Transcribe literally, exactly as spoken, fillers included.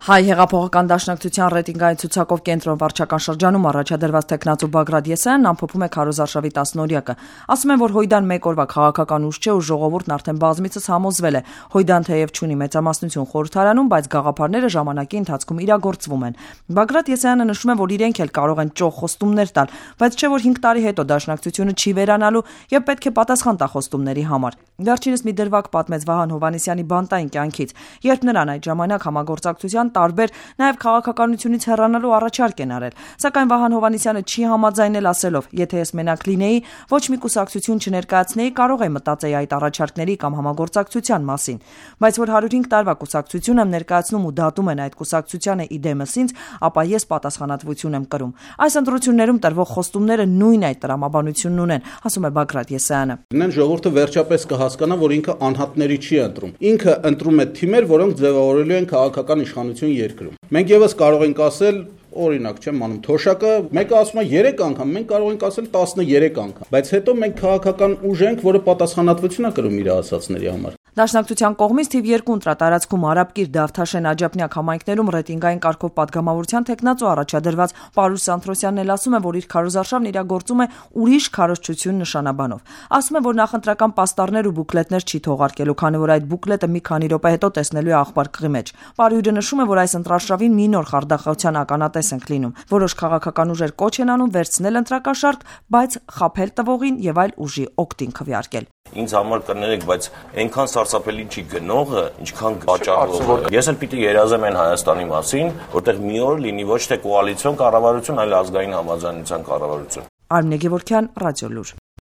Հայ հեղափոխական դաշնակցության ռեյտինգային ցուցակով կենտրոն վարչական շրջանում առաջադրված տեխնացու Բագրատ Եսայանն ամփոփում է քարոզարշավի տասնօրյակը։ Ասում են, որ Հույդան մեկ օրվա քաղաքական ուժ չէ ու ժողովուրդն արդեն բազմիցս համոզվել է։ Հույդան թեև չունի մեծամասնություն խորհրդարանում, բայց գաղափարները ժամանակի ընթացքում իրագործվում են։ Բագրատ Եսայանը նշում է, որ իրենք էլ կարող են ճոխ խոստումներ տալ, բայց չէ որ հինգ տարի հետո դաշնակցությունը չի վերանալու եւ պետք է պատասխան տա խոստումների համար։ Վերջինս մի դրվագ պատմեց Վահան Հովհաննիսյանի բանտային կյանքից, երբ նրան այդ ժամանակ համագործակցության տարբեր նաև քաղաքականությունից հեռանալու առաջարկ են արել, սակայն Վահան Հովհաննիսյանը չի համաձայնել ասելով. եթե ես մենակ լինեի, ոչ մի կուսակցություն չներկայացնեի, կարող է մտածեի այդ առաջարկների կամ համագործակցության մասին, բայց որ հարյուր հինգ տարվա կուսակցություն եմ ներկայացնում ու դատում են այդ կուսակցությանը իդեմս ինձ, ապա ես պատասխանատվություն եմ կրում։ Այս ընտրություններում տրվող խոստումները նույն այդ տրամաբանությունն ունեն, ասում է Բագրատ Եսայանը։ Ժողովուրդը վերջապես կհասկանա, որ ինքը անհատների չի ընտրում։ Ինքը ընտրում է թիմեր, որոնք ձևավորելու են քաղաքական իշխանություն երկրում։ Մենք եւս կարող ենք ասել, օրինակ, չեմ անում թոշակը, մեկը ասում է երեք անգամ, մենք կարող ենք ասել տասներեք անգամ, բայց հետո մենք քաղաքական ուժ ենք, որը պատասխանատվություն է կրում իր ասացների համար։ Դաշնակցության կողմից թիվ երկու ընտրատարածքում Արաբկիր, Դավթաշեն, Աջափնյակ համայնքներում ռեյտինգային կարգով պատգամավորության տեխնացու առաջադրված Պարուս Սանթրոսյանն էլ ասում է, որ իր քարոզարշավն իրագործում է ուրիշ քարոզչություն նշանաբանով։ Ասում է, որ նախընտրական պաստառներ ու բուկլետներ չի թողարկելու, քանի որ այդ բուկլետը մի քանի րոպե հետո տեսնելու է աղբարկղի մեջ։ Պարույրը նշում է, որ այս ընտրաշավին մի նոր խարդախության ականատես ենք լինում։ Որոշ քաղաքական ուժեր կոչ են անում վերցնել ընտրակաշարք, բայց խաբել տվողին եւ այլ ուժի օգտին քվեարկել։ Ինձ համար կներեք, բայց այնքան սարսափելի չի գնողը, ինչքան վաճառողը։ Ես էլ պիտի երազեմ այն Հայաստանի մասին, որտեղ մի օր լինի ոչ թե կոալիցիոն կառավարություն, այլ ազգային համաձայնության կառավարություն։ Արմինե Գևորգյան, Ռադիոլուր։